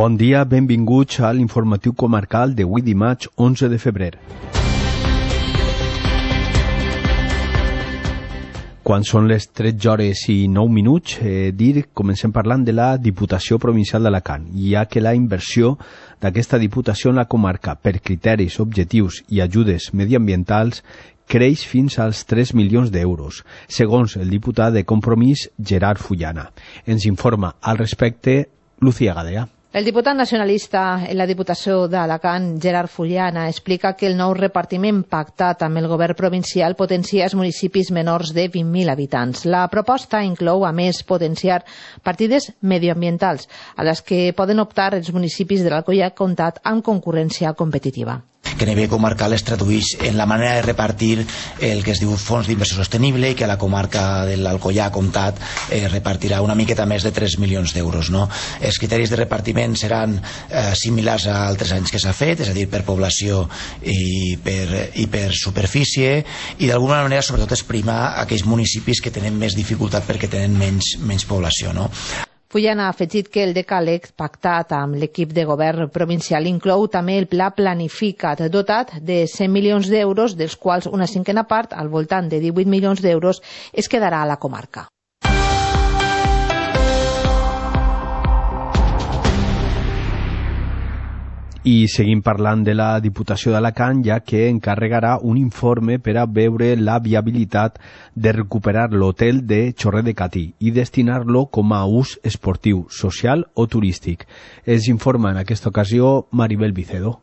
Bon dia, benvinguts a l'informatiu comarcal d'avui dimarts 11 de febrer. Quan són les 13 hores i 9 minuts, comencem parlant de la Diputació Provincial d'Alacant, ja que la inversió d'aquesta Diputació en la comarca per criteris, objectius i ajudes mediambientals creix fins als 3 milions d'euros, segons el diputat de Compromís, Gerard Fullana. Ens informa al respecte Lucía Gadea. El diputat nacionalista en la Diputació d'Alacant, Gerard Fullana, explica que el nou repartiment pactat amb el govern provincial potencia els municipis menors de 20.000 habitants. La proposta inclou, a més, potenciar partides medioambientals, a les que poden optar els municipis de l'Alcoià Comtat amb concurrència competitiva. Que a nivell comarcal es tradueix en la manera de repartir el que es diu fons d'inversió sostenible i que a la comarca de l'Alcoià Comtat repartirà una miqueta més de 3 milions d'euros. No? Els criteris de repartiment seran similars a altres anys que s'ha fet, és a dir, per població i per superfície, i d'alguna manera sobretot es prima aquells municipis que tenen més dificultat perquè tenen menys població. No? Fullana ha afegit que el decàleg pactat amb l'equip de govern provincial inclou també el pla planificat dotat de 100 milions d'euros, dels quals una cinquena part, al voltant de 18 milions d'euros, es quedarà a la comarca. I seguim parlant de la Diputació d'Alacant, ja que encarregarà un informe per a veure la viabilitat de recuperar l'hotel de Chorret de Catí i destinar-lo com a ús esportiu, social o turístic. Es informa en aquesta ocasió Maribel Vicedo.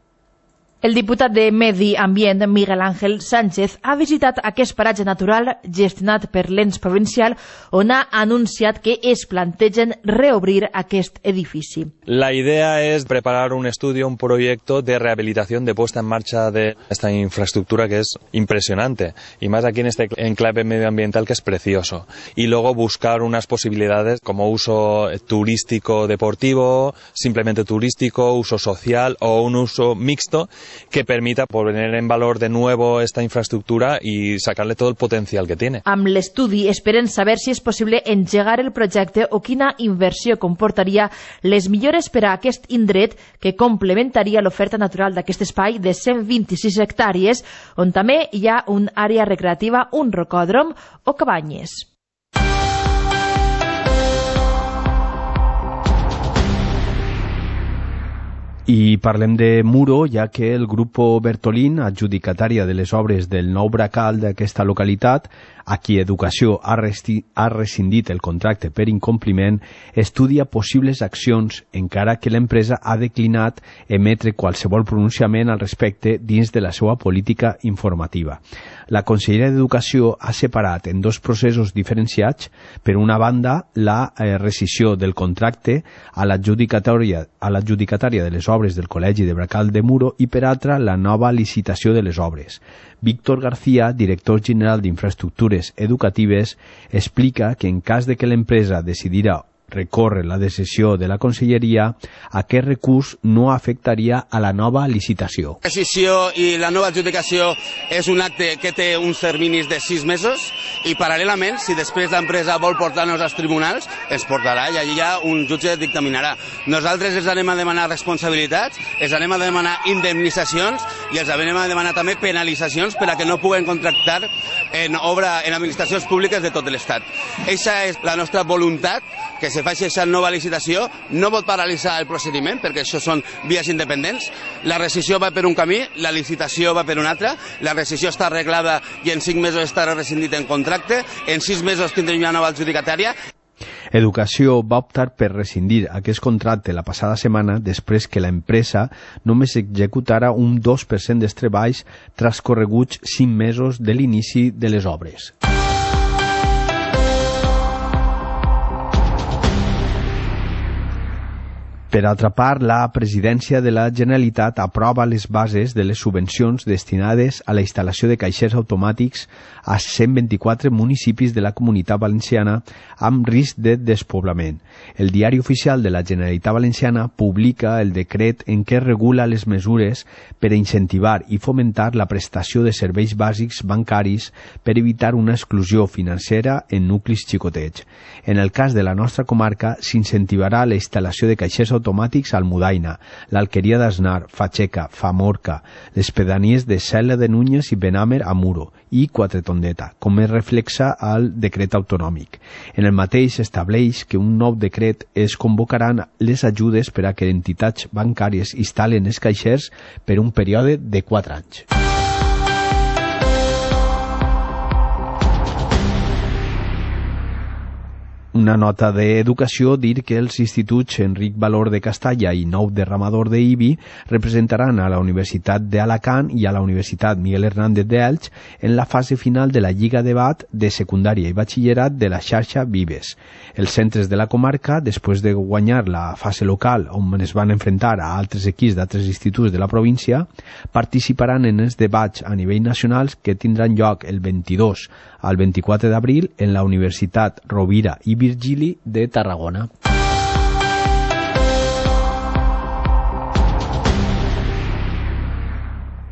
El diputat de Medi Ambient, Miguel Ángel Sánchez, ha visitat aquest paratge natural gestionat per l'ens provincial, on ha anunciat que es plantegen reobrir aquest edifici. La idea es preparar un estudio, un proyecto de rehabilitación, de puesta en marcha de esta infraestructura que es impresionante, y más aquí en este enclave medioambiental que es precioso. Y luego buscar unas posibilidades como uso turístico deportivo, simplemente turístico, uso social o un uso mixto, que permita poner en valor de nuevo esta infraestructura y sacarle todo el potencial que tiene. Amb l'estudi esperen saber si és possible engegar el projecte o quina inversió comportaria les millores per a aquest indret que complementaria l'oferta natural d'aquest espai de 126 hectàrees, on també hi ha una àrea recreativa, un rocòdrom o cabanyes. I parlem de Muro, ja que el Grupo Bertolín, adjudicatària de les obres del nou bracal d'aquesta localitat, a qui Educació ha rescindit el contracte per incompliment, estudia possibles accions, encara que l'empresa ha declinat emetre qualsevol pronunciament al respecte dins de la seva política informativa. La Conselleria d'Educació ha separat en dos processos diferenciats, per una banda, la rescissió del contracte a l'adjudicatària de les obres del Col·legi de Bracal de Muro i, per altra, la nova licitació de les obres. Víctor García, director general d'Infraestructures Educatives, explica que en cas de que l'empresa decidirà recórrer la decisió de la Conselleria, aquest recurs no afectaria a la nova licitació. La decisió i la nova adjudicació és un acte que té uns terminis de 6 mesos i paral·lelament, si després l'empresa vol portar-nos als tribunals, ens portarà i allà un jutge dictaminarà. Nosaltres els anem a demanar responsabilitats, els anem a demanar indemnitzacions i els anem a demanar també penalitzacions per a que no puguen contractar en administracions públiques de tot l'Estat. Aquesta és la nostra voluntat, que se faci aquesta nova licitació. No pot paralitzar el procediment, perquè això són vies independents. La rescissió va per un camí, la licitació va per un altre. La rescissió està arreglada i en 5 mesos estarà rescindit en contracte. En 6 mesos tindrem una nova adjudicatària. Educació va optar per rescindir aquest contracte la passada setmana després que l'empresa només executara un 2% dels treballs transcorreguts 5 mesos de l'inici de les obres. Per altra part, la Presidència de la Generalitat aprova les bases de les subvencions destinades a la instal·lació de caixers automàtics a 124 municipis de la Comunitat Valenciana amb risc de despoblament. El Diari Oficial de la Generalitat Valenciana publica el decret en què regula les mesures per a incentivar i fomentar la prestació de serveis bàsics bancaris per evitar una exclusió financera en nuclis xicotets. En el cas de la nostra comarca, s'incentivarà la instal·lació de caixers automàtics automàtics Almudaina, l'Alqueria d'Asnar, Facheca, Famorca, les pedanies de Cela de Núñez i Benàmer a Muro i Quatretondeta, com es reflexa al decret autonòmic. En el mateix estableix que un nou decret es convocaran les ajudes per a que entitats bancàries instal·len els caixers per un període de 4 anys. Una nota d'educació dir que els instituts Enric Valor de Castalla i Nou Derramador d'Ibi representaran a la Universitat d'Alacant i a la Universitat Miguel Hernández d'Elx en la fase final de la Lliga Debat de secundària i batxillerat de la xarxa Vives. Els centres de la comarca, després de guanyar la fase local on es van enfrontar a altres equips d'altres instituts de la província, participaran en els debats a nivell nacional que tindran lloc el 22 al 24 d'abril en la Universitat Rovira i Virgili de Tarragona.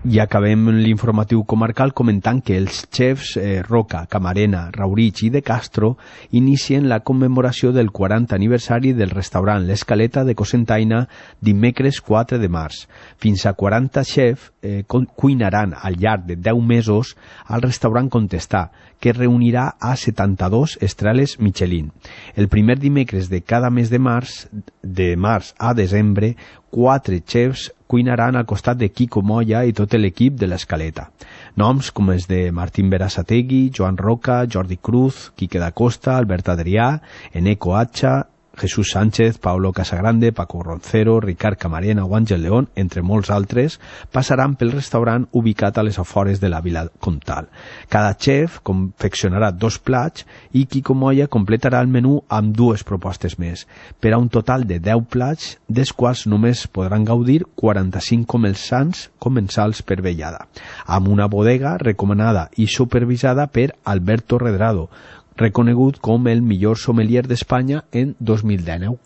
I acabem l'informatiu comarcal comentant que els xefs Roca, Camarena, Raurich i De Castro inicien la commemoració del 40 aniversari del restaurant L'Escaleta de Cocentaina dimecres 4 de març. Fins a 40 xefs cuinaran al llarg de 10 mesos al restaurant Contestà, que reunirà a 72 estrelles Michelin. El primer dimecres de cada mes de març a desembre, 4 xefs cuinaran al costat de Quico Moya i tot l'equip de l'Escaleta. Noms com els de Martín Berasategui, Joan Roca, Jordi Cruz, Quique da Costa, Albert Adrià, Eneco Hacha, Jesús Sánchez, Paulo Casagrande, Paco Roncero, Ricard Camarena o Àngel León, entre molts altres, passaran pel restaurant ubicat a les afores de la Vila Comtal. Cada xef confeccionarà 2 plats i Quico Moya completarà el menú amb 2 propostes més, per a un total de 10 plats, dels quals només podran gaudir 45 comensals per vellada, amb una bodega recomanada i supervisada per Alberto Redrado, reconegut com el millor sommelier d'Espanya en 2019.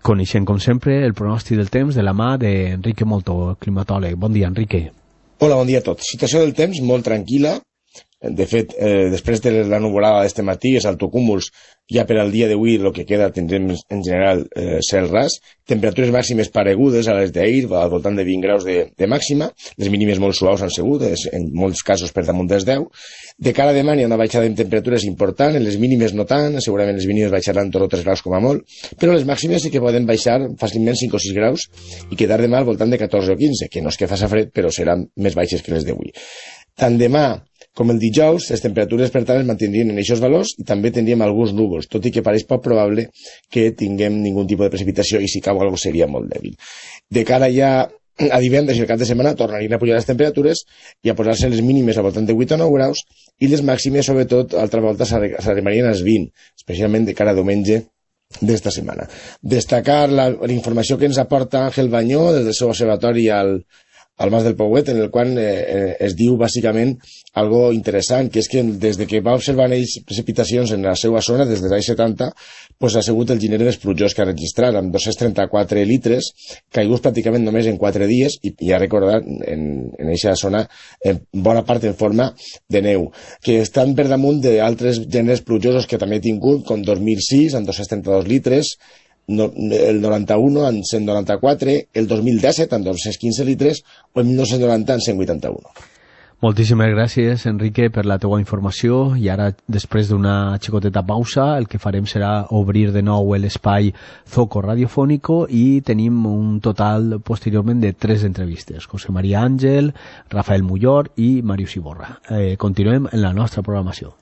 Coneixem, com sempre, el pronòstic del temps de la mà d'Enrique Molto, climatòleg. Bon dia, Enrique. Hola, bon dia a tots. Situació del temps molt tranquil·la. De fet, després de la nuvolada d'este matí, els altocúmuls, ja per al dia d'avui el que queda tindrem en general cel ras, temperatures màximes paregudes a les d'ahir, al voltant de 20 graus de màxima, les mínimes molt suaus han sigut, en molts casos per damunt dels 10. De cara a demà hi ha una baixada en temperatures important, en les mínimes no tant, segurament les mínimes baixaran 2 o 3 graus com a molt, però les màximes sí que poden baixar fàcilment 5 o 6 graus i quedar demà al voltant de 14 o 15, que no és que faça fred, però seran més baixes que les d'avui. Tant demà com el dijous, les temperatures per tant es mantindrien en aquests valors i també tindríem alguns núvols, tot i que pareix poc probable que tinguem ningun tipus de precipitació i si cau alguna seria molt dèbil. De cara ja a divendres i el cap de setmana tornarien a pujar les temperatures i a posar-se les mínimes al voltant de 8 o 9 graus i les màximes, sobretot, altra volta s'arribarien als 20, especialment de cara a diumenge d'esta setmana. Destacar la informació que ens aporta Àngel Bañó des del seu observatori al Mas del Pouet, en el qual es diu bàsicament algo interessant, que és que des de que va observar precipitacions en la seva zona, des dels anys 70, pues ha sigut el gener més plujós que ha registrat, amb 234 litres, caiguts pràcticament només en 4 dies, i ja recordar en aquesta zona en bona part en forma de neu, que estan per damunt d'altres geners plujosos que també he tingut, com 2006, amb 232 litres, el 91 en 194, el 2017 en 215 litres o el 1990 en 181. Moltíssimes gràcies, Enrique, per la teua informació, i ara, després d'una xicoteta pausa, el que farem serà obrir de nou l'espai Zoco Radiofónico i tenim un total posteriorment de 3 entrevistes, José María Ángel, Rafael Mullor i Màrius Iborra. Continuem en la nostra programació.